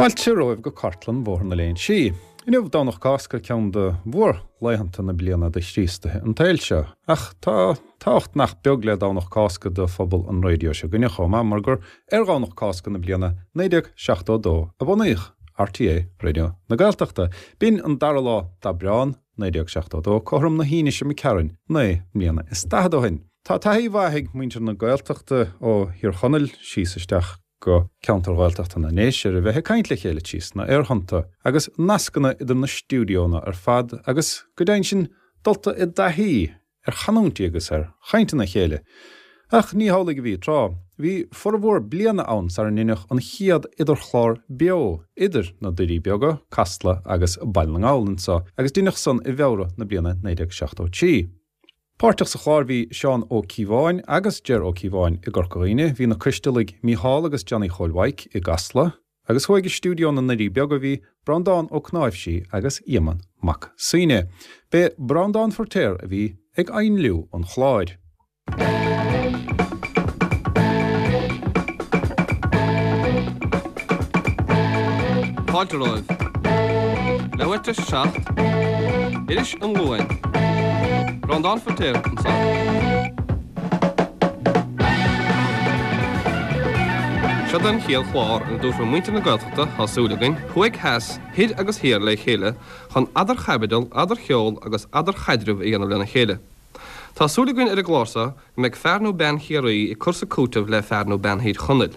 Fáilte romhaibh go cartlann Bhóthar na Léinsí. Inniu Domhnach Cásca, ceann de mhórlaethanta na bliana do Chríostaithe an tsaoil seo. Ach tá tábhacht nach beag le Domhnach Cásca do phobal an raidió seo againne chomh maith mar gur ar Dhomhnach Cásca na bliana 1972 a bunaíodh RTÉ Raidió na Gaeltachta. B'in an dara lá d'Aibreán 1972, cothrom na hAoine seo imigh tharainn, 49 mbliana ó shin. Tá taithí mhaith ag muintir na Gaeltachta ó Thír Chonaill síos isteach go ceantair Ghaeltachta na nDéise ar a bheith ag caint le chéile trí sna aerthonnta agus nascanna idir na stiúideónna ar fad agus, go deimhin sin, dulta i dtaithí ar chanúintí agus ar chainteanna a chéile. Ach ní hamhlaidh a bhí tráth. Bhí formhór bliana ann sara ndeineadh an chéad idirchlár beo idir na Doirí Beaga, Casla agus Baile na nGall anso, agus deineadh san i bhFeabhra na bliana 1973. Páirteach sa chlár bhí Seán Ó Cíobháin agus Ger Ó Cíobháin i gCorca Dhuibhne, bhí na Coistealaigh Mícheál agus Johnny Chóil Mhaidhc i gCasla, Agus thuaidh i stiúideo na nDoirí Beaga bhí Breandán Ó Cnáimhsí agus Éamonn Mac Suibhne. B'é Breandán Feiritéar a bhí ag éinliú an chláir. Fáilte romhaibh. Leathuair tar éis a 7, Iris an Luain. Breandán Feiritéar anseo. Seod é an chéad chlár ina dtabharfar muintir na Gaeltachta, tá súil againn, thuaidh theas, thoir agus thiar le chéile chun eadarchaibidil, eadarcheol agus eadarchaidreamh a dhéanamh lena chéile. Tá súil againn ar an gclár seo go mbeidh fear nó bean Chiarraí ag cur 's ag cúiteamh le fear nó bean Thír Chonaill.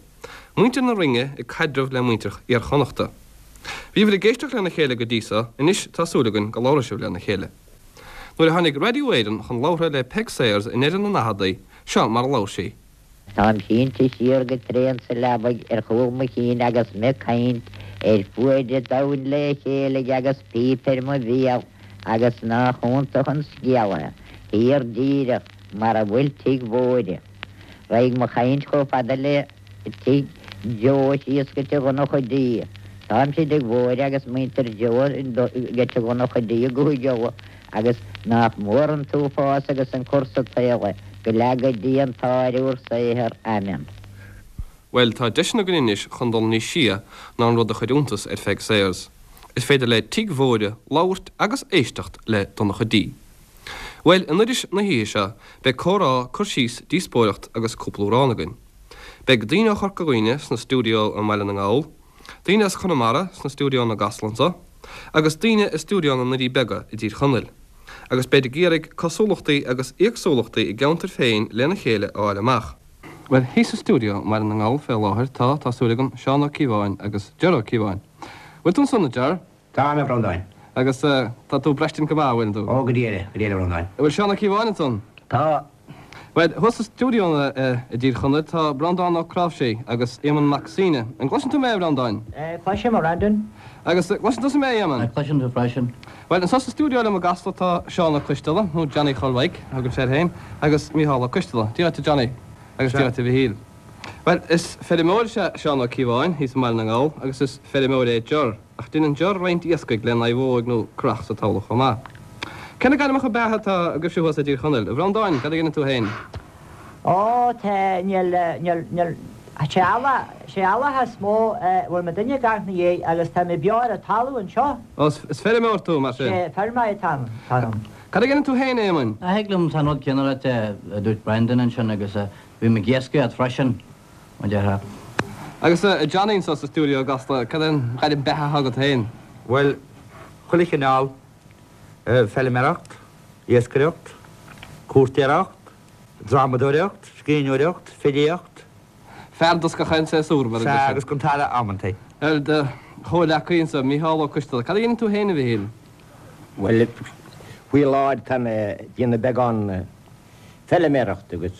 Muintir na Rinne ag caidreamh le muintir Iar-Chonnachta. Bhíobhair ag éisteacht lena chéile go dtí so, anois tá súil againn go labhróidh sibh lena chéile. Nuair a tháinig Raidió Éireann chun labhartha le Peig Sayers i ndeireadh na ndaicheadaí, seo mar a labhair sí. Táim sínte siar go tréan sa leabaidh ar chúl mo chinn agus me caint ar fuaid a' domhain le chéile agus píp ar mo bhéal agus nách iontach an scéal é, thiar díreach mar a bhfuil tigh Mhóire. Raghaidh mo chaint chomh fada le tigh Joe síos go Tigh Dhonncha D. Táimse i dTigh Mhóire agus muintir Joe go Tigh Dhonncha D i gCúige Uladh agus nách mór an t-uafás agus an cur sa tsaol é, go leaga Dia an t-ádh ar úr saothar. Amen. Bhuel, tá deiseanna againn anois chun dul níos sia ná an rud a chuir iontas ar Pheig Sayers. Is féidir le Tigh Mhóire labhairt agus éisteacht le Donncha D. Bhuel, in iris na hoíche seo, beidh comhrá, cur síos, díospóireacht agus cúpla amhrán againn. Beidh daoine ó Chorca Dhuibhne sna stiúideo i mBaile na nGall, daoine as Conamara sna stiúideonna i gCasla anso, agus daoine i stiúideo na nDoirí Beaga i dTír Chonaill, agus beid ag iarraidh cosúlachtaí agus éagsúlachtaí a gceantair féin lena chéile a fháil amach. Bhuel, thíos sa stiúideo i mBaile na nGall fé láthair tá, tá súil agam, Seán Ó Cíobháin agus Ger Ó Cíobháin. Bhfuil tú ansan, a Ger? Táim, a Bhreandáin. Agus tá tú ag braistint go maith, an bhfuileann tú? Ó, go díreach, go díreach, a Bhreandáin. An bhfuil Seán Ó Cíobháin ansan? Tá. Bhuel, thuas sa stiúideo i dTír Chonaill tá Breandán Ó Cnáimhsí agus Éamonn Mac Suibhne. An gcloiseann tú mé, a Bhreandáin? Cloisim, a Bhreandáin. Agus gcloiseann tusa mé, a Éamoinn? Cloisim tú freisin. Bhuel, anso sa stiúideo liom i gCasla tá Seán Ó Coisteala, nó Johnny Chóil Mhaidhc, a thugann sé air féin, agus Mícheál Ó Coisteala. Dia dhuit, a Johnny, agus Dia dhuit, a Mhichíl. Bhuel, is feirmeoir is ea Seán Ó Cíobháin thíos i mBaile na nGall agus is feirmeoir é Ger. Ach deineann Ger roinnt iascaigh le naomhóig nó curach sa talamh chomh maith. Cé na gairmeacha beatha atá agaibhse thuas i dTír Chonaill? A Bhreandáin, cad a dheineann tú féin? Ó, tá, níl, níl, níl, sé eallach, sé eallach is mó a bhfuil mé duine ag amharc 'na dhiaidh agus tá mé beo ar an talamh anseo. Ó, is feirmeoir tú, mar sin? Sé, feirmeoir atá ann, atá ann. Cad a dheineann tú féin, a Éamoinn? Thig liom an rud céanna a ráit a dúirt Breandán ansin agus bím ag iascaireacht freisin. Mar déarfá. Agus a Johnny anso sa stiúideo i gCasla, cad é an ghairm beatha atá agat féin? Bhuel, chuile chineál, feilméaracht, iascaireacht, cúirtéireacht, drámadóireacht, scríbhneoireacht, filíocht. Fear dos gach aon séasúr, mar a deirtear. Sea, agus don talamh amantaí. Bhuel, do chomhghleacaí anso, Mícheál Ó Coisteala, cad a dhéanann tú féin, a Mhichíl? Bhuel, faoi láthair tá mé ag déanamh beagán feilméarachta agus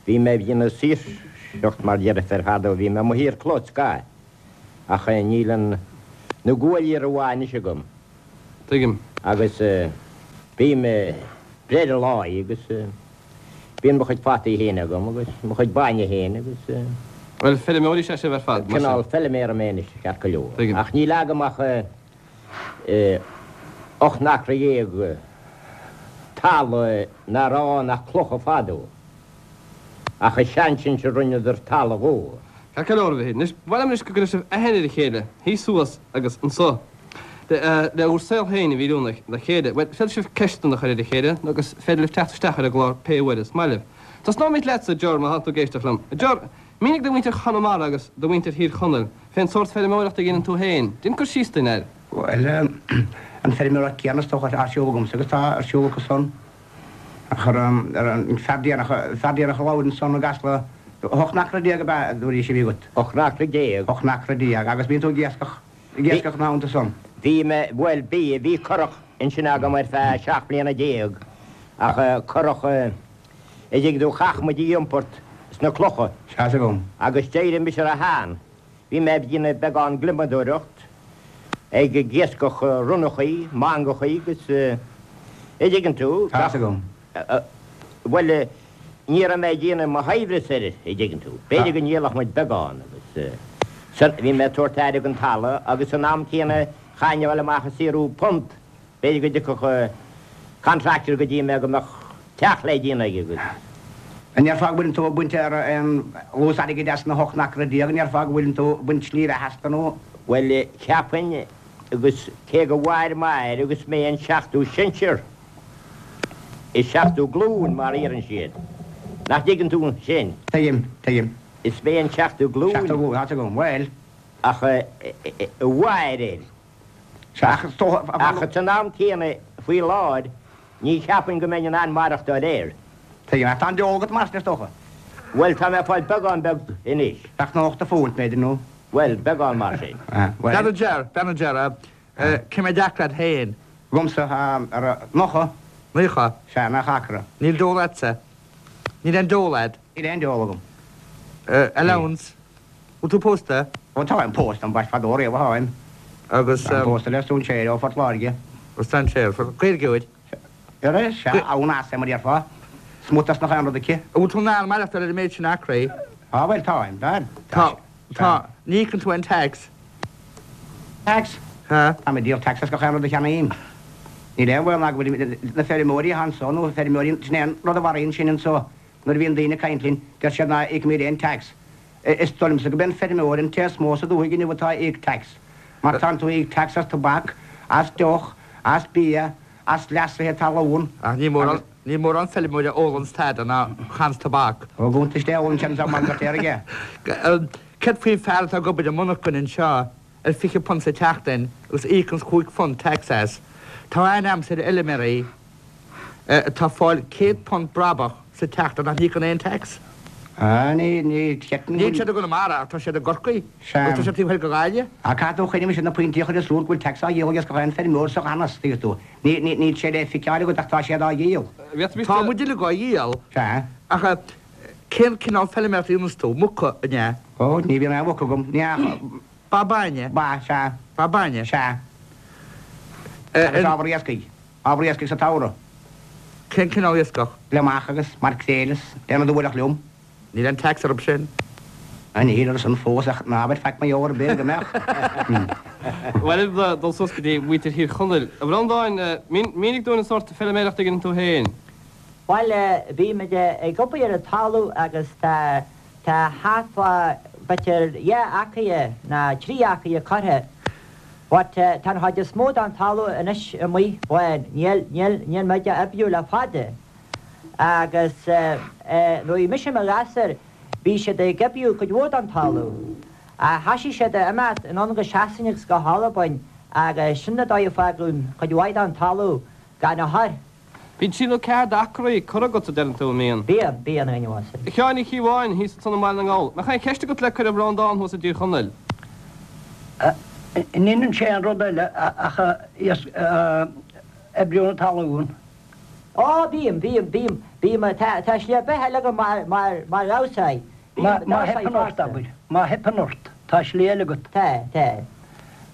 bhí mé ag déanamh saoirseacht mar déarfar fadó, bhí mé amuigh ar chlós scaith ach níl an. Na guaillí rómhaith anois agam. Tuigim. Agus bím ag breith ar lá agus bíonn mo chuid fataí féin agam agus mo chuid bainne féin agus. Bhuel, feirmeoirí is ea sibh ar fad, mar sin. Cineál feilméara mé anois, ceart go leor. Tuigim. Ach níl agam ach 18 n-acra talamh ná raibh ann ach clocha fadó. Ach is ansin a rinneadar talamh dhó. Ceart go leor, a Mhichíl. Anois, ba mhaith liom anois go gcuirfeadh sibh aithne ar a chéile, thíos thuas agus anso, le bhur saol féin a mhíniú dá chéile. Bhuel, féadfaidh sibh ceisteanna a chur ar a chéile, agus féidir libh teacht isteach ar an gclár pé uair is maith libh. Tosnóimid leatsa, a Ger, má tá tú ag éisteacht liom. A Ger, mínigh do mhuintir Chonamara agus do mhuintir Thír Chonaill fén sórt feirmeoireachta a dhéanann tú féin. Déan cur síos duinn air. Bhuel, an feirmeoireacht céanna is dócha atá ar siúl agamsa agus atá ar siúl acu san. Ach ar an fear deireanach, fear deireanach a labhair ansan i gCasla, 18 n-acra ab ea a dúraís a bhí agat? 18 n-acra. 18 n-acra agus bíonn tú ag iascach, ag iascach ina theannta san? Bhí mé, bhuel bhí, bhí curach ansin agam ar feadh 17 mbliana ach curach a dtuigeann tú, chaithfeadh muid í a iompart sna clocha. Sea, 's agam. Agus d'éirigh mise ró-shean. Bhí mé ag déanamh beagán gliomadóireacht, ag iascach ronnachaí, mangachaí agus a dtuigeann tú, Tá 'fhios agam. Bhuel, ní raibh mé ag déanamh mo shaibhreas air, a dtuigeann tú. B'fhéidir go ndíolfadh muid beagán agus san, bhí mé ag tabhairt aire don talamh agus san am céanna chaithfinn a dhul amach ag saothrú punt B'fhéidir go dtiocfadh contractor go dtí mé go mbeadh teach le déanamh aige agus. An ndéarfá go bhfuileann tú ag baint ar aon luas airgid as na hocht n-acra an ndéarfá go bhfuileann tú ag baint slí bheatha astu nó? Bhuel, cheapfainn, agus cé go mhair m'athair agus mé an seachtú sinsear, is seachtú glúin mar a iarrann siad. Nach dtuigeann tú sin? Tuigim, tuigim. Is mé an seachtú glúin. Seachtú glúin, tá's agam. Bhuel. Ach a mhair air. Ach is dócha. Ach san am céanna, faoi láthair, ní cheapfainn go mbeinn in ann maireachtáil air. Tuigim. Ach tá an deol agat mar sin, is dócha? Bhuel, tá mé ag fáil beagán beag anois. Bheadh 90 phunt, b'fhéidir, nó? Bhuel, beagán mar sin. Bhuel. Bean a Ger, bean a Ger, cé mhéad acra agat féin? Agamsa, tá 90. 90? Sea, 90 acra. Níl deol agatsa? Níl aon deol agat? Níl aon deol agam. Allowance? Bhfuil tú pósta? Ó táim pósta, ambaist fadó riamh a tháim. Agus. Táim pósta le strainséir ó Phort Láirge. Ó strainséir, Gaeilgeoir? Sea, sea, ann as é mar déarfá. Smut as nach aon rud aici. An bhfuil tú in ann maireachtáil ar an méid sin acraí? Á bhuel táim, táim. Tá, tá. Ní íocann tú aon tax? Tax? Sea. Táim ag díol tax as gach aon rud a cheannaím. Níl aon bhaol ná go bhfuil na feirmeoirí atá anso nó feirmeoirí, sin é an rud a mharaíonn sinn anso. Nuair a bhíonn daoine ag caint linn, deir siad ná íocaimid aon tax. Is dóigh liomsa go b'é an feirmeoir an té is mó sa dúthaigh inniu atá ag íoc tax. Mar tánn tú ag íoc tax as tobac, as deoch, as bia, as leasuithe talún. Ach ní mórán, ní mórán feirmeoir a ólanns tada ná chaitheanns tobac. Ó gcuntais Dé ólann sé an mar deirtear aige. Céard faoin fear atá ag obair i monarchain anseo ar £20 sa tseachtain agus íocanns £5 tax as? Tá aithne agamsa ar fheilméaraí. atá ag fáil £100 brabach sa tseachtain nach n-íocann aon tax. Ah, ní, ní, cheapfainn go. Níl siad i gConamara ach tá siad i gCorcaigh agus tá siad taobh thoir de Ghaillimh. Ah, caithfidh tú cuimhneamh sin na pointí a chur i súil go bhfuil tax á dhíol ag gach aon feirmeoir sa ghanfhios, tuigeann tú. Ní, ní, níl sé le feiceáil agat ach tá siad á dhíol. Tá muid uilig á dhíol. Sea. Ach cén cineál feilméarachta a dhéananns tú? Muca, an ea? Ó, ní bhíonn aon mhuc agam. Ní ach. Ba bainne? Ba, sea. Ba bainne? Sea. Agus ábhar iascaigh. Ábhar iascaigh sa tsamhradh. Cén cineál iascach? Gliomach agus maircréil is aon rud a bhuailfeadh liom. Níl aon tax orthu sin. Ah, níl orthu san fós ach ná habair faic mar gheall ar bith go mbeadh. Bhuel, dul suas go dtí muintir Thír Chonaill. A Bhreandáin, mínigh dúinn an sórt feilméarachta a dhéanann tú féin. Bhuel, bímid ag obair ar an talamh agus tá Tá thart fá b'fhéidir 2 acra ná 3 acra curtha but tá an chuid is mó den talamh anois amuigh bán, níl, níl, níl muid á oibriú le fada. Agus nuair a bhí mise i mo ghasúr bhí siad ag oibriú cuid mhór den talamh. Ach thoisigh siad a imeacht anonn go Sasain agus go hAlbain agus sin an dóigh a fágadh cuid mhaith den talamh gan a chur. Bíonn trí nó ceathair d'acraí curtha agat, a deireann tú, an mbíonn? Bíonn, bíonn, a dhuine uasail. A Sheáin Uí Chíobháin, thíos ansan i mBaile na nGall. Mbeadh aon cheist agat le cur ar Bhreandán thuas i dTír Chonaill? An ndeineann sé aon rud eile ach oibriú na talún? Ó, bím, bím, bím, bím, tá, tá slí beatha eile agam mar, mar, mar dhamhsóir. Bím Má, má theipeann ort, abair, má theipeann ort, tá slí eile agat. Tá, tá.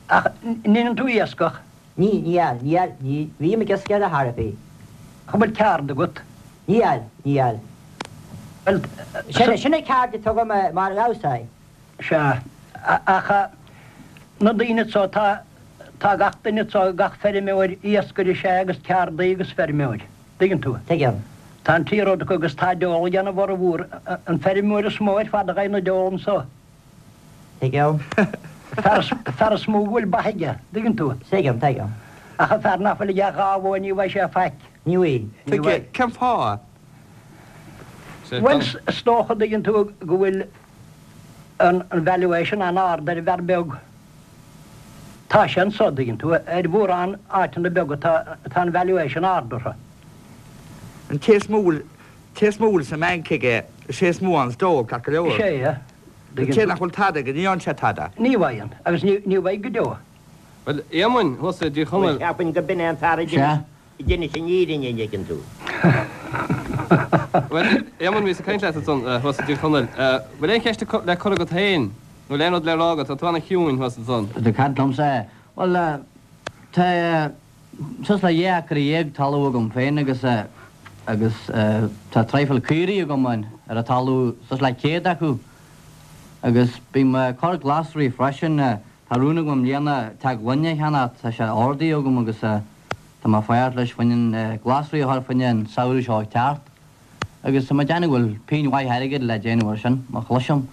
Ach ndeineann tú iascach? Ní, níl, níl, ní bhím ag iascach ar chor ar bith. An bhfuil ceard agat? Níl, níl. Bhuel, Sin, sin an ceard atá agam mar dhamhsa. Sea, ach na daoine anso, tá, tá gach duine anso, gach feirmeoir, iascaire is ea agus ceardaí agus feirmeoir. Tuigeann tú? Tuigim. Tá an trí rud acu agus tá deol ag ana bhformhór, an feirmeoir is mó ar fad a gheibheann na deol anso. Tuigim. Fear, fear is mó go bhfuil ba aige, dtuigeann tú? Tuigim, tuigim. Ach an fear nach bhfuil aige ach 2 bhó ní bhfaighidh sé faic. Ní bhfaighidh. Ní bhfaighidh. Cén fáth? Bhuel, is dócha, dtuigeann tú, go bhfuil an valuation an-ard ar an bhfear beag. Tá sé anso, dtuigeann tú, ar mhórán áiteanna beaga tá, tá an valuation ard orthu. An té is mó a bhfuil, té is mó a bhfuil sa mbanc aige, is é is mó ann is dól, ceart go leor. Is é, An té nach bhfuil tada aige, ní fhaigheann sé tada. Ní bhfaigheann, agus ní bhfaighidh go deo. Bhuel, Éamoinn, thuas i dTír Chonaill. Bhuel, cheapfainn go b'in é an fear a d'inis an fhírinne, an dtuigeann tú. Bhuel, Éamonn, bhíos ag caint leat ansan thuas i dTír Chonaill. Bhfuil aon cheist le cur agat féin, nó bhfuil aon rud le rá agat? Tá tú ana-chiúin thuas ansan. Tá caint liomsa? Bhuel, tá. Suas le 12 acra talamh agam féin agus agus tá traidhfil caoirigh agam ann ar an talamh, suas le 100 acu. Agus bím ag cur glasraí freisin. Tá rún agam i mbliana teach gloine a cheannacht, tá sé ordaithe agam agus tá mé ag fágháilt leis fá choinne glasraí a chur fá choinne an samhradh seo ag teacht. Agus tá mé ag déanamh go bhfuil pingin mhaith airgid le déanamh ar sin, má chlisim.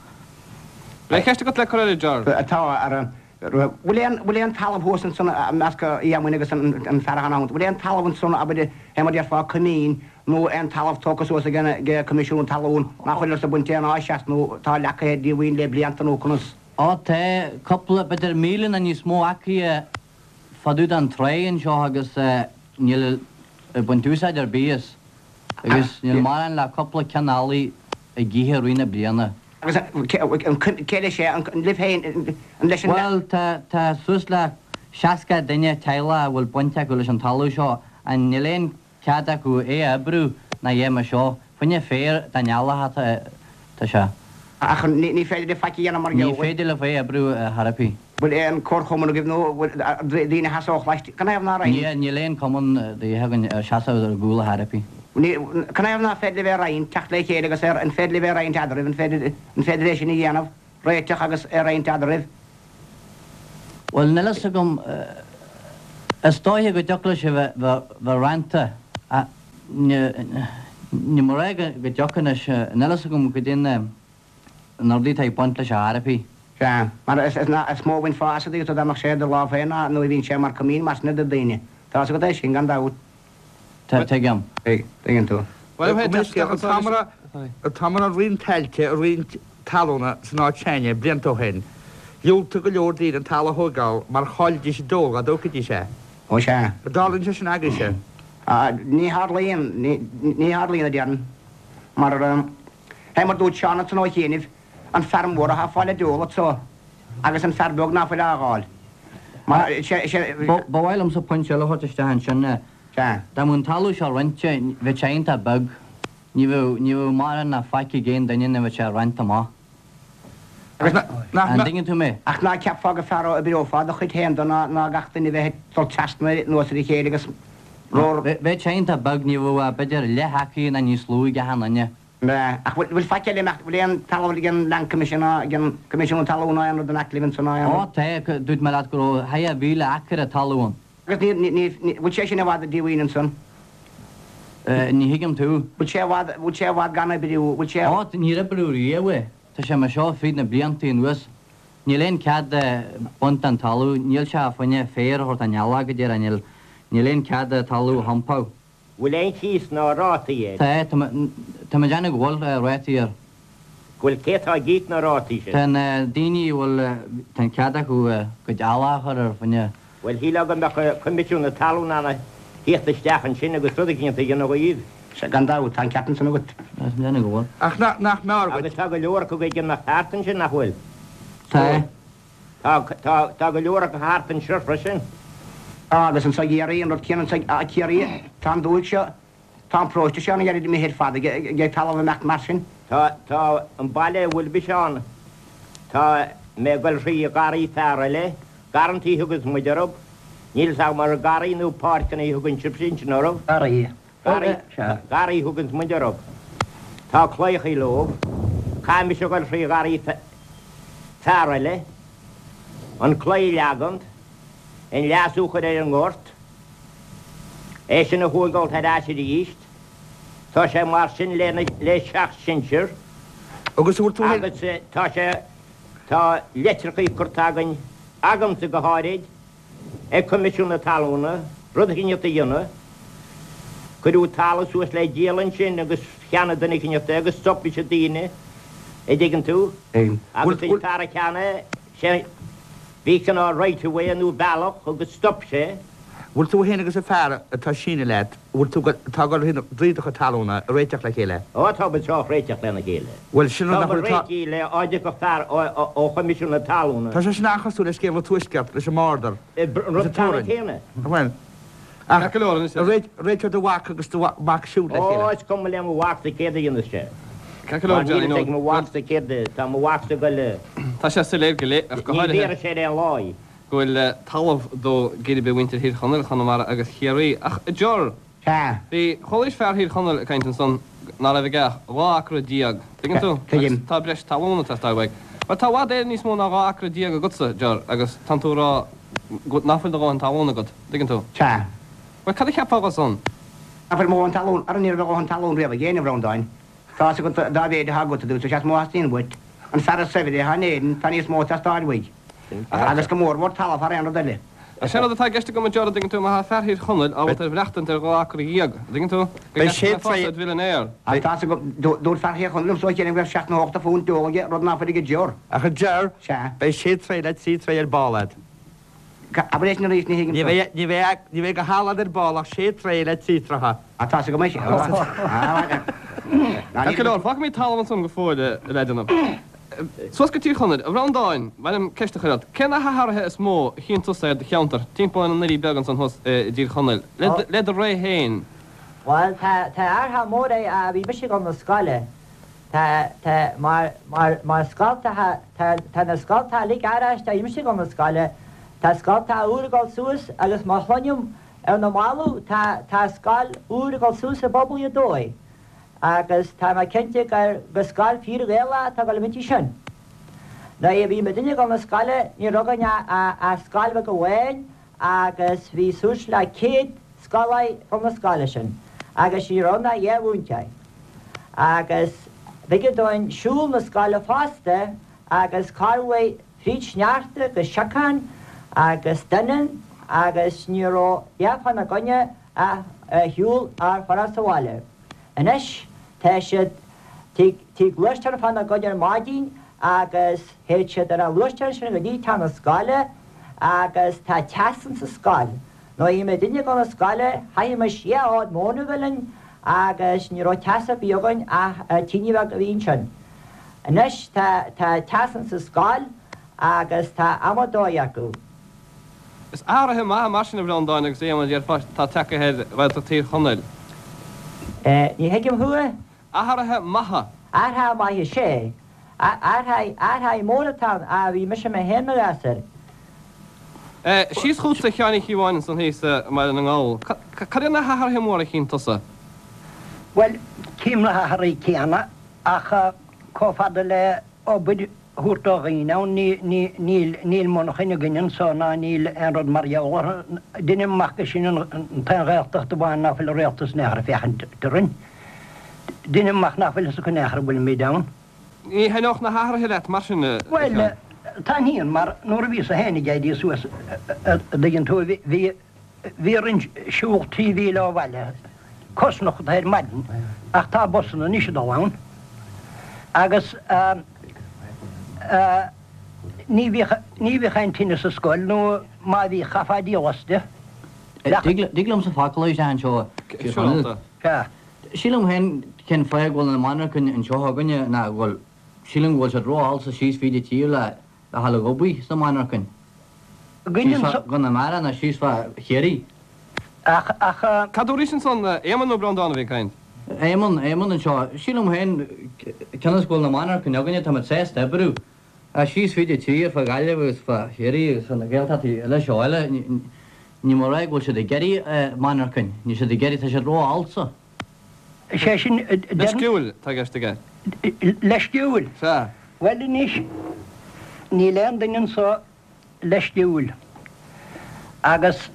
Bhfuil aon cheist agat le cur air, a Ger? Tá, ara. Bhfuil aon, bhfuil aon talamh thuas ansan i measc Éamoinn agus an fear atá ann, bhfuil aon talamh ansan, abair, fé mar déarfá coimín nó aon talamh tógtha suas ag an, ag Coimisiún Talún nach bhfuil ag baint aon áis as nó atá leagtha ar díomhaoin le blianta nó conas? Ó tá, cúpla, b'fhéidir 1,000 nó níos mó acraí fá dtaobh den tráigh anseo agus níl ag baint úsáid ar bith as agus níl mórán le cúpla ceann eallaigh ag ithe i rith na bliana. Agus cé leis é? An libh féin? An leis an. Bhuel, tá, tá suas le 60 duine, teaghlach a bhfuil baint acu leis an talamh seo and níl aon cead acu é a oibriú ná a dhath mar seo. Fá choinne féar don eallach atá, tá sé. Ach ní féidir libh faic a dhéanamh mar gheall. Ní féidir libh é a oibriú ar chor ar bith. Bhfuil aon comharchumann agaibh nó bhfuil daoine a sheasódh laistigh? Canathaobh ná roinnt? Níl, níl aon cumann ar bith againn a sheasódh ar a gcúl ar chor ar bith. Canathaobh ná féidir libh é a roinnt, teacht le chéile agus é, an féidir libh é a roinnt eadraibh, an féidir, an féidir é sin a dhéanamh, réiteach agus é a roinnt eadraibh? Bhuel, níl fhios agam, is dóiche go dtiocfadh leis a bheith, bheith roinnte ach ní, ní mór é go dtiocfadh anois, níl fhios agam goidé na. na rudaí atá ag baint leis ar chor ar bith. Sea, mar is mó a bhainfeá as an dtuigeann tú dá mbeadh sé i do lámh féin ná nuair a bhíonn sé mar coimín mar sin do daoine. Tá fhios agat é sin, gan dabht. Tá, tuigim. Tuigeann tú. An t-am a raibh roinnt tailte, roinnt talúna san áit s'againne blianta ó shin, dhiúltaigh go leor daoine an talamh a thóigeáil mar chaillfidís a dteol dá dtógfaidís é. Ó sea. An dtarlaíonn sé sin agaibhse? Ní tharlaíonn, ní tharlaíonn a déarfainn. Mar. Fé mar dúirt Seán ansan ó chianaibh, an fear mór athá ag fáil a deol anso agus an fear beag ná fuil á fháil. Mar sé, sé. Ba mhaith liomsa pointe eile a thabhairt isteach ansin. Sea. Dá mbeadh an talamh seo roinnte, bheadh sé iontach beag. Ní bheadh, ní bheadh mórán ná faic ag aon duine nuair a bheadh sé roinnte amach. Agus nach, An dtuigeann tú mé? Ach ná ceapfá gur fearr a oibreofá do chuid féin do ná, ná gach duine bheith ag dul trasna anuas ar a chéile agus rór. Bheadh sé iontach beag, ní bheadh ach b'fhéidir leath acraí nó níos lú ag achan duine. Ach bhfuil faic eile imeacht, bhfuil aon talamh ag an Land Commission ná ag an Coimisiún Talún ná aon rud in aice libh ansan ná aon Ó rud? tá, dúirt mé leat go raibh 2,000 acra talún ann. Agus ní, ní, ní, bhfuil sé sin i bhfad díomhaoin ansan? Ní thuigim tú. Bhfuil sé i bhfad, bhfuil sé i bhfad gan oibriú, bhfuil sé. Ó, níor oibríodh riamh é. Tá sé mar seo fríd na blianta anuas. Níl aon cead baint den talamh, níl sé fá choinne féar a thabhairt don eallach go díreach, níl, níl aon cead talamh a thumpáil. Bhfuil aon chíos ná rátaí air? Tá, tá tá mé ag déanamh go bhfuil rátaí air. Go bhfuil, cé atá ag íoc na rátaí sin? Tá na daoine a bhfuil, tá an cead acu a gcuid eallach a chur ar fá choinne. Bhuel, shílfeá go mbeadh Coimisiún na Talún in ann theacht isteach ansin agus rud eicínt a dhéanamh dhaoibh. Sea, gan dabht, tá an ceart ansan agat. Tá mé ag déanamh go bhfuil. Ach nach mb'fhearr dhuit? Agus tá go leor acu ag imeacht thart ansin, nach bhfuil? Tá. Tá, tá, tá go leor acu thart anseo freisin. Tá, agus anso i gCiarraí, an rud céanna anso i Ciarraí, tá an dúthaigh seo, tá an paróiste seo ana ghairid imithe ar fad ag, ag talamh imeacht mar sin. Tá, tá an baile a bhfuil mise ann, tá mé ag dul thrí gharraí fear eile. Garrantaí a thuganns muid orthu. Níl 's agam ar garraí nó páirceanna a thugann sibhse ansin orthu. Garraí. Garraí. Garraí a thuganns muid orthu. Tá claíochaí leo. Caithfidh mise a dhul thrí gharraí fear eile, an claí a leagant, an leasú a chur ar an ngort, é sin a thóigeáilt ar ais aríst. Tá sé mar sin le seacht sinsear. Agus an bhfuil tú Agus tá sé, tá litreachaí curtha againn, agamsa go háirid, ag Coimisiún na Talúna, rud eicíneacht a dhéanamh. Cuireadh talamh suas le díol ansin agus cheannaigh duine eicíneacht é agus stop leis na daoine, a' dtuigeann tú. Agus an fear a cheannaigh sé, bhí cineál right of way nó bealach agus stop sé. Bhfuil tú fhéin agus an fear atá sínithe leat, bhfuil tú, atá ag dul thrí do chuid talúna a réiteach le chéile? Ó, tá muid sách réiteach lena chéile. Bhuel, sin rud Tá nach muid bhfuil, tá. réitithe le á dtiocfadh fear ó Choimisiún na Talúna. Tá sé sin an-chosúil le scéal an Tuaisceart leis an mborder An rud agus an ceannann teorainn. céanna. Bhuel, ach Ceart go leor anois. réiteoidh do mhac agus do mhac siúd le Ó, chéile. is cuma le mo mhacsa céard a dhéanfas sé. Ceart go leor, Mar níl Johnny, fhios nó ag mo mhacsa céard, tá mo mhacsa ag dul. Tá sé soiléir go léir, ach go Ní háirithe. bhéarfaidh sé ar aon lá í. go bhfuil talamh do geirbe mhuintir Thír Chonaill, Chonamara agus Chiarraí. Ach a Ger! Sea. Bhí, chualaís fear Thír Chonaill ag caint ansan ná raibh aige ach 12 acra. Tuigeann tú? Tuigim. Agus tá breis talún ag teastáil uaidh. Bhuel, tá i bhfad Éireann níos mó ná 12 acra agatsa, Ger, agus tánn tú ag rá go, ná fuil do dhóthain talún agat. Tuigeann tú? Sea. Bhuel, cad a cheapfá dho san? Ná fuil mo dhóthain talún, ara ní raibh a dhóthain talún riamh ag éinne, a Bhreandáin. Tá fhios agat dá mhéid atá agat, a dúirt sé, is mó a theastaíonn uait. An fear is saibhre atá in Éirinn, tá níos mó ag teastáil uaidh. Agus go mórmhór talamh thar aon rud eile. Sé an rud atá i gceist agam, a Ger, an dtuigeann tú, má tá fear Thír Chonaill ábalta ar mhaireachtaint ar 12 acra, an dtuigeann tú, go Beidh gceart sé go mbeifeása id mhillionaire. Ach tá fhios agat, dúirt fear Thír Chonaill liomsa ó chianaibh go raibh seacht nó ochtó phunt d'ól aige, rud ná fuil ag Ger. Ach a Ger, Sea. beidh sé troigh le trí troigh ar ball agat. Abair é sin arís, ní thuigim Ní tú. bheidh, ní bheidh, ní bheidh go halad ar ball ach sé troigh le trí troithe. Ah, tá fhios agam é sin. Ceart go leor, fágfaimid talamh ansan go fóill, a leaideanna. Suas go Tír Chonaill, a Bhreandáin, ba mhaith liom ceist a chur ort. Cé na hathruithe is mó a chíonn tusa ar do cheantar, timpeall ar na nDoirí Beaga ansan thuas i dTír Chonaill, le do ré féin? Bhuel, tá, tá athruithe móra ó bhí mise ag dul na scoile. Tá, tá, mar, mar, mar scoltacha, tá, tá na scoltacha uilig athraithe ó bhí mise ag dul na scoile, tá scoltacha úr ag dul suas agus má chluinim ar na mallaibh tá, tá scoil úr ag dul suas i bPobal Ghaoth Dobhair agus tá mé cinnte gur, gur scoil fíor Ghaelach atá ag dul inti sin. Nuair a bhí muidinne ag dul na scoile ní raibh againn ach, ach scoil bheag amháin agus bhí suas le 100 scoláire ag dul na scoile sin agus ní raibh ann ach dhá mhúinteoir. Agus b'éigean dúinn siúl na scoile fosta agus corruair fríd sneachta agus siocán agus doineann agus ní raibh dhath fána gcoinne ach ar shiúl ár furas abhaile. Anois tá siad tig tig gluaisteán fána gcoinne ar maidin agus théid siad ar an ghluaisteán sin go dtí teach na scoile agus tá teas insa scoil. Nuair a bhí muidinne ag dul na scoile chaithimis dhá fhód móna a bheith linn agus ní raibh teas ar bith againn ach an tine bheag a bhí ansin. Anois tá tá teas insa scoil agus tá adhmad dóigh acu. Is athruithe maithe mar sin a Bhreandáin agus a Éamoinn a déarfá atá tagtha ar Ghaeltacht Thír Chonaill. Ní thuigim thú. Athruithe maithe. Athruithe maithe, sea. Athruithe, athruithe móra atá ann, ó bhí mise mé féin mo ghasúr. Síos chugatsa a Sheáin Uí Chíobháin ansan thíos i mBaile na nGall. Cad iad na hathruithe móra a chíonn tusa? Bhuel, tchím na hathruithe céanna ach chomh fada le obair a thabhairt do dhaoine ann, níl, níl monarchain againn anso ná níl aon rud mar gheall orthu. Deinim amach gur sin an t-aon Ghaeltacht amháin ná fuil an rialtas in aon chor ag féachaint orainn. Deinim amach nach bhfuil fhios acu in aon chor go bhfuilimid ann. Ní thaitneodh na hathruithe leat mar sin, a Bhuel, Sheáin? taitníonn, mar nuair a bhíos-sa féin ag éirí suas, a dtuigeann tú, bhí, bhí orainn siúl trí mhíle ó bhaile, cosnochta ar maidin, ach tá busanna anois ag dul ann. Agus ní bhíodh, ní bhíodh aon tine sa scoil, nó má bhí, chaithfeá díol aisti. Dtig liomsa focal a rá anseo, a Chonaill? Sea. Sílim féin cén fáth go bhfuil na monarchain anseo againne ná go bhfuil, sílim go bhfuil siad ró-fhalsa síos fríd an tír le a ghabháil ag obair sna monarchain. Síos fá Chonamara nó síos fá Chiarraí. Ach, ach. Cad dúraís ansan, Éamonn nó Breandán a bhí ag caint? Éamonn, Éamonn anseo. Sílim féin, cionn is go bhfuil na monarchain againne, táimid sásta oibriú. Síos fríd an tír, fá Ghaillimh agus fá Chiarraí agus fá na Gaeltachtaí eile seo eile, níl mé a rá go bhfuil siad ag iarraidh monarchain, níl siad ag iarraidh, tá siad ró-fhalsa. Sé sin, Leisciúil, tá i gceist aige. Leisciúil? Sea. Bhuel anois, níl aon duine anso leisciúil agus,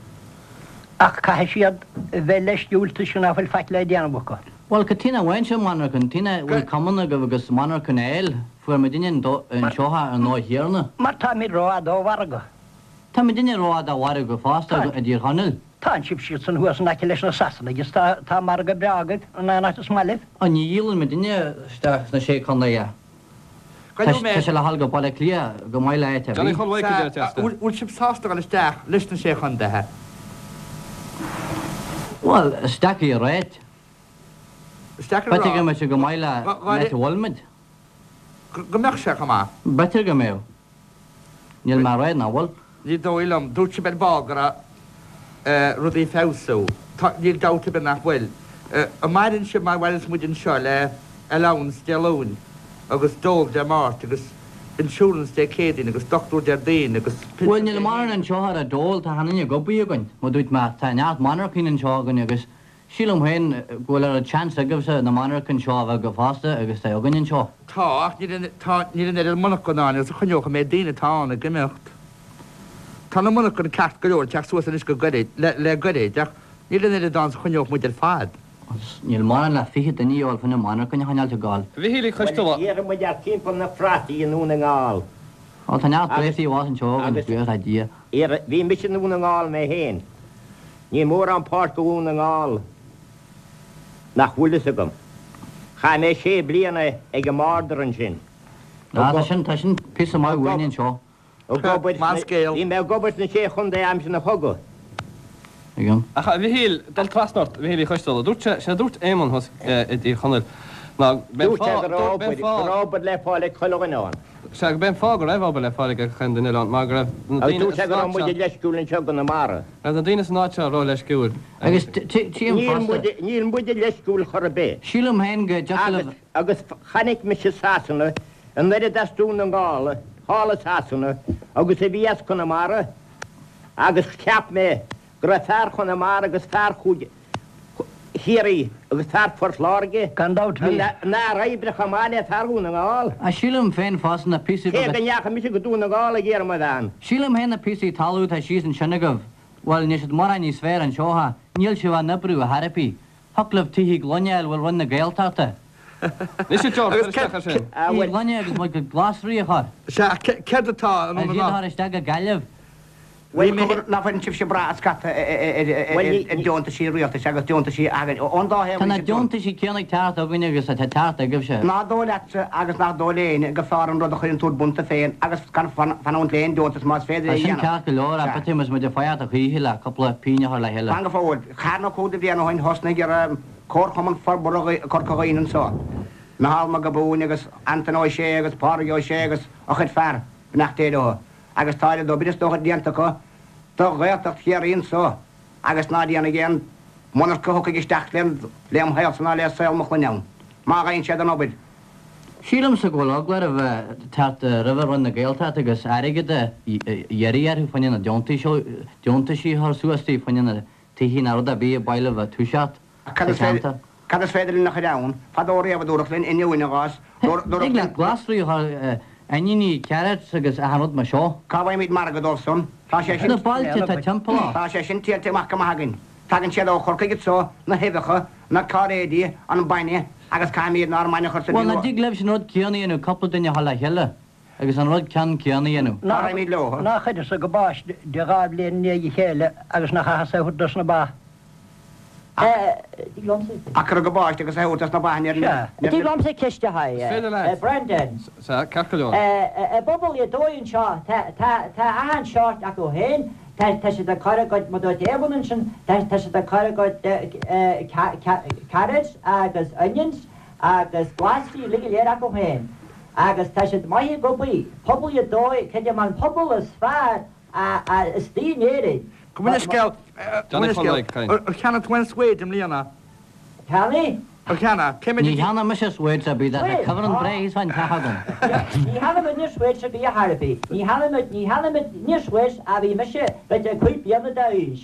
ach caithfidh siad bheith leisciúil toisc nach bhfuil faic le déanamh acu. Bhuel, cad chuige nach bhfaigheann sibh monarchan, cad chuige nach bhfuil cumann agaibh agus monarchan a fháil, fuair muidinne anseo ar an dóigh chéanna. Mar táimid rófhada ó mhargadh. Tá muidinne rófhada ó mhargadh fosta i dTír Chonaill. Tánn sibh siadsan thuas in aice leis na Sasanaigh is tá, tá margadh breá agaibh in aon áit is maith libh. Á, ní dhíolann muidinne isteach sna Sé Chontae é. Tá sé le dhul go Baile Átha Cliath go maith le áit ar Johnny bith. Chóil Mhaidhc a deir Teachta. Bhfuil sibh sásta dul isteach leis na Sé Chontaetha? Bhuel, is deacair a ráit. Is deacair a rá. B'fhéidir go mbeadh sé go maith le áit a bhfuil muid. Go mbeadh sé chomh maith. B'fhéidir go mbeadh. Níl mé a rá nach bhfuil. Ní dóigh liom. Dúirt sibh ar ball go raibh rudaí ag feabhsú. Tá, níl dabht ar bith nach bhfuil. An maireann sibh mar a mhaireanns muid anseo le allowance Dé Luain agus dole Dé Máirt agus insurance Dé Céadaoin agus dochtúir Déardaoin agus Bhuel, pinsean níl Dé mórán hAoine. anseo ar an dole, tá achan duine ag obair againn. Mar dúirt mé, tá neart monarchain anseo againn agus Sílim féin go bhfuil oiread seans agaibhse na monarchain seo a bheith agaibh fosta agus atá againn anseo. Tá, ach níl an, tá, níl an oiread monarchan ann agus a choinneodh an méid daoine atá ann ag imeacht. Tá na monarchain ceart go leor ag teacht suas anois go gairid, le, le gairid, ach níl an oiread ann is a choinneodh muid ar fad. Agus níl mórán le 20 duine a dhíol fá choinne monarchain a choinneáilt ag gabháil. A Mhichíl Uí Choisteala. Bhuel, iarrfaidh muid thart timpeall na phrátaí i nDún na nGall. Ó, tá neart préataí abhus anseo againn, buíochas le Dia. Iarr, bhí mise i nDún na nGall mé féin. Níl mórán páirc i Dhún na nGall nach bhfuil fhios agam. Chaith mé sé bliana ag an mborder ansin. Ah, tá sin, tá sin píosa maith uainn anseo. Ag obair Maith scéal. Bhí mé ag obair sna Sé Chontae aimsir an chogaidh. Tuigim. Ach a Mhichíl, dul trasna ort, a Mhichíl Uí Choisteala, dúirt sé, sé a dúirt Éamonn thuas i dTír Chonaill ná b'é an Dúirt sé fáth, go raibh b'é an obair, go fáth, raibh obair le fáil ag chuile dhuine ann. Sea, go b'é an fáth go raibh obair le fáil ag gach aon duine eile ann, mar go raibh na Agus daoine dúirt sé san go raibh áit muide seo, leisciúil anseo i gConamara. raibh na daoine san áit seo ró-leisciúil. Agus tchím Níl fosta. muide, níl muide leisciúil chor ar bith. Sílim féin go dtiocfadh Agus, libh. agus chonaic mise Sasana, an oiread as Dún na nGall, thall i Sasana, agus a bhí as Conamara, agus cheap mé go raibh fear Chonamara agus fear Chúige Chiarraí agus fear Phort Láirge Gan dabht bhí. ina bhfear oibre chomh maith le fear Dhún na nGall. Ach sílim féin fosta na píosaí Cé beaga. go ndeachaigh mise go Dún na nGall ag iarraidh mo bhean. Sílim féin na píosaí talún atá síos ansin agaibh, bhuel, níl siad mórán níos fearr anseo, ha, níl sibh á n-oibriú ar chor ar bith. Thiocfadh libh tithe gloine a fháil bhuel Roinn na Gaeltachta. Anois a George, cuir isteach air sin. Tithe gloine agus muid go glasraí a chur. Sea, céard atá i nDún na Agus iad a chur isteach go Gaillimh. Bhuel, cogar, nach bhfuileann sibhse ag brath scata ar deontaisí rialtais agus deontaisí againn ón dá thaobh Tá na anois, a John. deontaisí céanna ag teacht againn agus atá ag teacht agaibhse. Nach dóigh leatsa agus nach dóigh le éinne gur fearr an rud a chuireann tú ar bun tú féin agus gan fanúint le aon deontas más féidir é Tá a sin dhéanamh. ceart go leor, ach Sea. b'fhéidir más muid ag faighte a choíche le cúpla pingin a chur le chéile. Fan go fóill. Ceathair nó cúig de bhliain ó shin thosnaigh Comharchumann Forbartha Chorca Dhuibhne anso. Micheál Mac Giobúin agus Antaine Ó Sé agus Pádraig Ó Sé agus a chuid fear, beannacht Dé leo. Agus tá oiread obair is dócha déanta acu do Ghaeltacht Chiarraí anso agus ná déanfaidh aon mhonarcha a thiocfaidh isteach lem shaolsa ná le saol mo chlainne ann, má gheibheann siad an obair. Sílimse go bhfuil eagla oraibh teacht roimhe Roinn na Gaeltachta agus airgead a iarraidh orthu fá choinne na deontaisí a chur suas daoibh fá choinne na tithe ná rud ar bith ab áil libh a toiseacht Cad sa is féidir, cheantar. cad is féidir linn a chur ann? Fadó riamh a dúradh linn inniu ina gcás, dúradh Thig linn. leat glasraí a chur, oinníní, carrots agus achan rud mar seo. Cá bhfaighimid margadh dóibh san? Tá sé sin. Na bailte atá timpeall ort. Tá sé sin triailte amach go maith againn. Tagann siad ó Chorcaigh anso, na huibheacha, na cairéidí, an bainne, agus caithfimid ár mbainne a chur sa Bhuel, nach dtig libhse an rud céanna a dhéanamh, cúpla duine a dhul le chéile agus an rud ceann céanna a dhéanamh. Cá raghaimid leo? Nach chuireas-sa go báiste de dha bhliain i ndiaidh a chéile agus nach chaitheas é a thabhairt dos na ba. Tig liomsa. A cuireadh go báiste agus a thabhairt dos na ba níor. Sea. Tig liomsa ceist a chur, Is féidir leat. Brendan. Sea, ceart go leor. I bpobal Ghaoth Dobhair anseo, tá, tá, tá achan seort acu féin, tá, tá siad ag cur a gcuid, mar dúirt Éamonn ansin, tá, tá siad ag cur a gcuid carrots agus onions agus glasraí uilig go léir acu féin. Agus tá siad maith ag obair. Pobal Ghaoth Dobhair, creidim an pobal is fearr istigh in Éirinn. Gabh mo leithscéal, gabh mo leithscéal. Ar cheannaigh tú aon svaeid i mbliana? Cheannaigh? A cheannaigh? Cé mhéad Ní cheannaigh mise svuít ar bith, tá cuibhreann breá thíos fán teach agam. Ní cheannaigh muidne svuít ar bith ar chor ar bith. Ní cheannaigh muid, ní cheannaigh muidne svuít ó bhí mise b'fhéidir 5 bliana d'aois.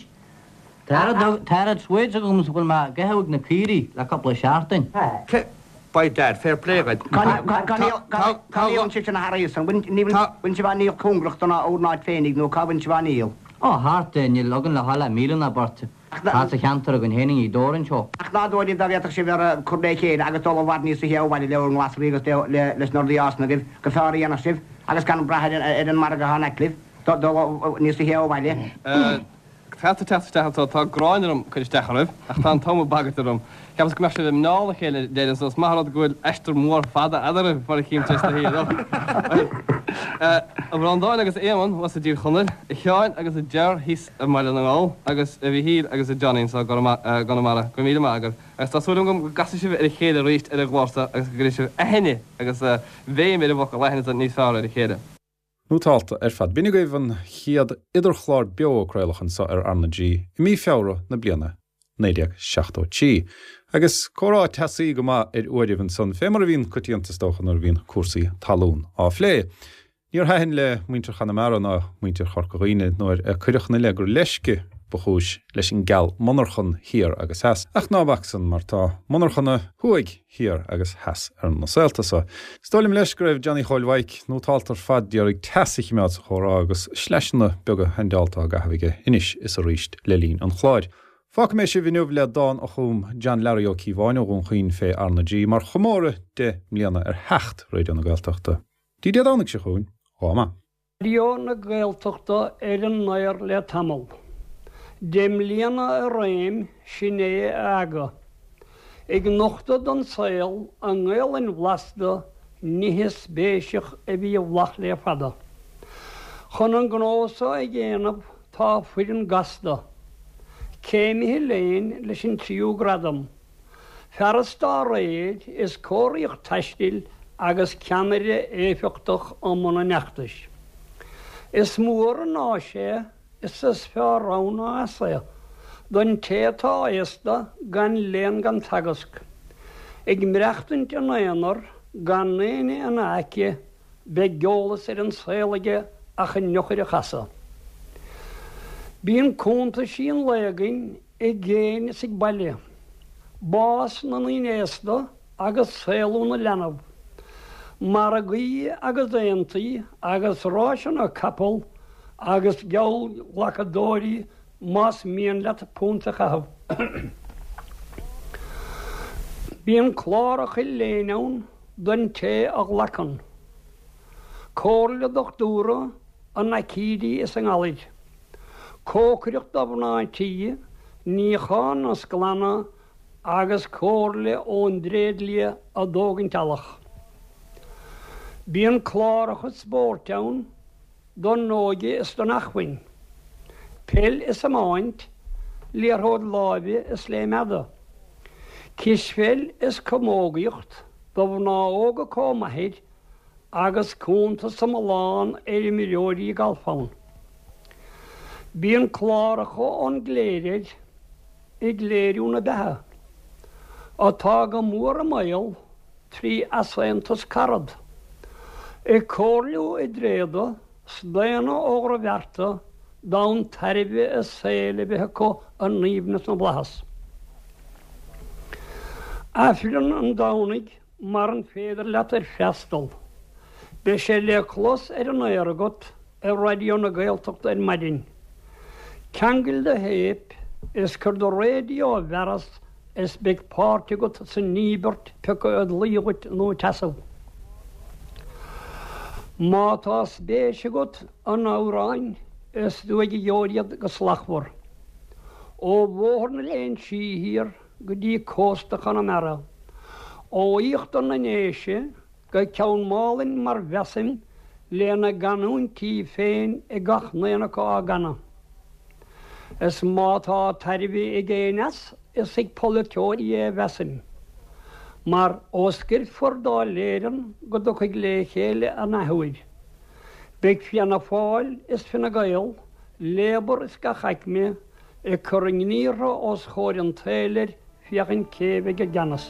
Tá oiread svuít agam is a bhfuil mé ag ithe ag na caoirigh le cúpla seachtain. Cé, by dad, fair play dhuit. Cá ndíolann sibhse na hearraí san? Bhfuil sibh á ndíol cóngarach don bhur n-áit féinig nó cá bhfuil sibh á ndíol? Ó, thart, níl againn le dhul ach míle nó beirt. Thart sa cheantar againn féin i nGaoth Dobhair anseo. Ach ná dóigh libh dá bhféadfadh sibh ar cur le chéile agus dul i bhfad níos luaithe ó bhaile le bhur nglasraí agus leis na rudaí a fhásann agaibh gur fearr a dhéanfadh sibh agus gan brath ar an margadh atá in aice libh, dul níos luaithe ó bhaile. Caithfidh tú teacht isteach anseo, tá gráin orm cur isteach oraibh, ach tá an t-am ag bagairt orm. Cheapas go mbeadh sibh i muineál a chéile deireadh so is maith an rud go bhfuil aistear mór fada eadraibh mar a chím tar éis na hoíche. A Bhreandáin agus a Éamonn thuas i dTír Chonaill, a Sheáin agus a Ger thíos i mBaile na nGall agus a Mhichíl agus a Johnny anseo i gConamara. Go raibh míle maith agaibh agus tá súil agam go gcasfaidh sibh ar a chéile arís ar an gclár seo agus go gcuirfidh sibh aithne agus béim ar an bhfocal aithne níos fearr ar a chéile. Nótálta ar fad. B'in agaibh an chéad idirchlár beo a craoladh anseo ar R na G i mí Feabhra na bliana 1973. Agus comhrá teasaí go maith ar uairibh ansan, fé mar a bhíonn coitianta is dócha nuair a bhíonn cúrsaí talún á phlé. Níor thaitin le muintir Chonamara ná muintir Chorca Dhuibhne nuair a cuireadh ina leith gur leisce ba chúis leis an gceal monarchan thiar agus theas. Ach ná bac san, mar tá monarchana thuaidh, thiar agus theas ar na saolta so. Is dóigh liom leis go raibh Johnny Chóil Mhaidhc nótálta ar fad d'iarraidh teas a chimeád sa chomhrá agus sleaiseanna beaga haindeálta á gcaitheamh aige anois is arís le linn an chláir. Fágfaidh mé sibh inniu le dán a chum John Larry Ó Cíobháin ó Dhún Chaoin fé R na G mar chomóradh 10 mbliana ar theacht Raidió na Gaeltachta. Dtí Dé Domhnaigh seo chugainn, dhá maith. Raidió na Gaeltachta ar an aer le tamall. 10 mbliana i réim, sin é a aga. Ag nochtadh don saol i nGaelainn bhlasta nithe spéiseach a bhí i bhfolach le fada. Chun an gnó so a dhéanamh tá foireann gasta. Céimithe léinn leis an tríú gradam. Fearas dá réir is cóiríocht taistil agus ceannaire éifeachtach i mbun an fheachtais. Is mór an áis é is is fearr ann ná as é don té atá aosta gan léann gan teagasc, ag maireachtaint ina aonar gan éinne ina aice Beidh eolas ar an saol aige ach an eochair a chasadh. Bíonn cuntaisí an lae againn i gcéin is ag baile. Bás na ndaoine aosta agus saolú na leanbh. Margaí agus aontaí agus ráiseanna capall agus geallghlacadóirí más mian leat punt a chaitheamh. Bíonn cláracha léinn ann don té a ghlacann comhairle dochtúra in aicídí is i ngalair, cócaireacht do mhná tí, níochán is glanadh agus comhairle ón dtréidlia i dtógaint eallach. Bíonn cláracha spóirt ann don óige is don acmhainn, peil is iomáint, liathróid láimhe is léim fhada, cispheil is camógaíocht do mhná óga comh maith agus cuntas iomlán ar imreoirí gailf ann. Bíonn cláracha ón gcléir air ag léiriú na beatha, atá go mór i mbaol 3 easaontas carad, ag comhairliú i dtréada, staonadh ó dhrochbhearta, d'fhonn tairbhe a saoil a bheith acu in aoibhneas na bhflaitheas. Aifreann an Domhnaigh maran féidir leat ar freastal, beidh sé le clos ar an aer agat ar Raidió na Gaeltachta ar maidin. Ceangail do théip is cuir do raidió i bhfearas is beidh páirt agat san íobairt pioca id luí dhuit nó id sheasamh. Má tá spéis agat in amhráin is tú ag gheobhair iad go slachtmhar. Ó Bhóthar na Léinsí thiar go dtí cósta Chonamara, ó íochtar na nDéise go Ceann Málainn mar mheasaim lena gcanúintí féin ag gach n-aon acu á gcanadh. Is má tá tairbhe ag éinne as, is ag polaiteoirí é a mheasaim. Mar ó scoirfear Dáil Éireann go dtiocfaidh le chéile an athuair, beidh Fianna Fáil is Fine Gael, Labour is gach aicme ag cur a ngníortha os chomhair an tsaoil air féachaint cé bheidh i gceannas.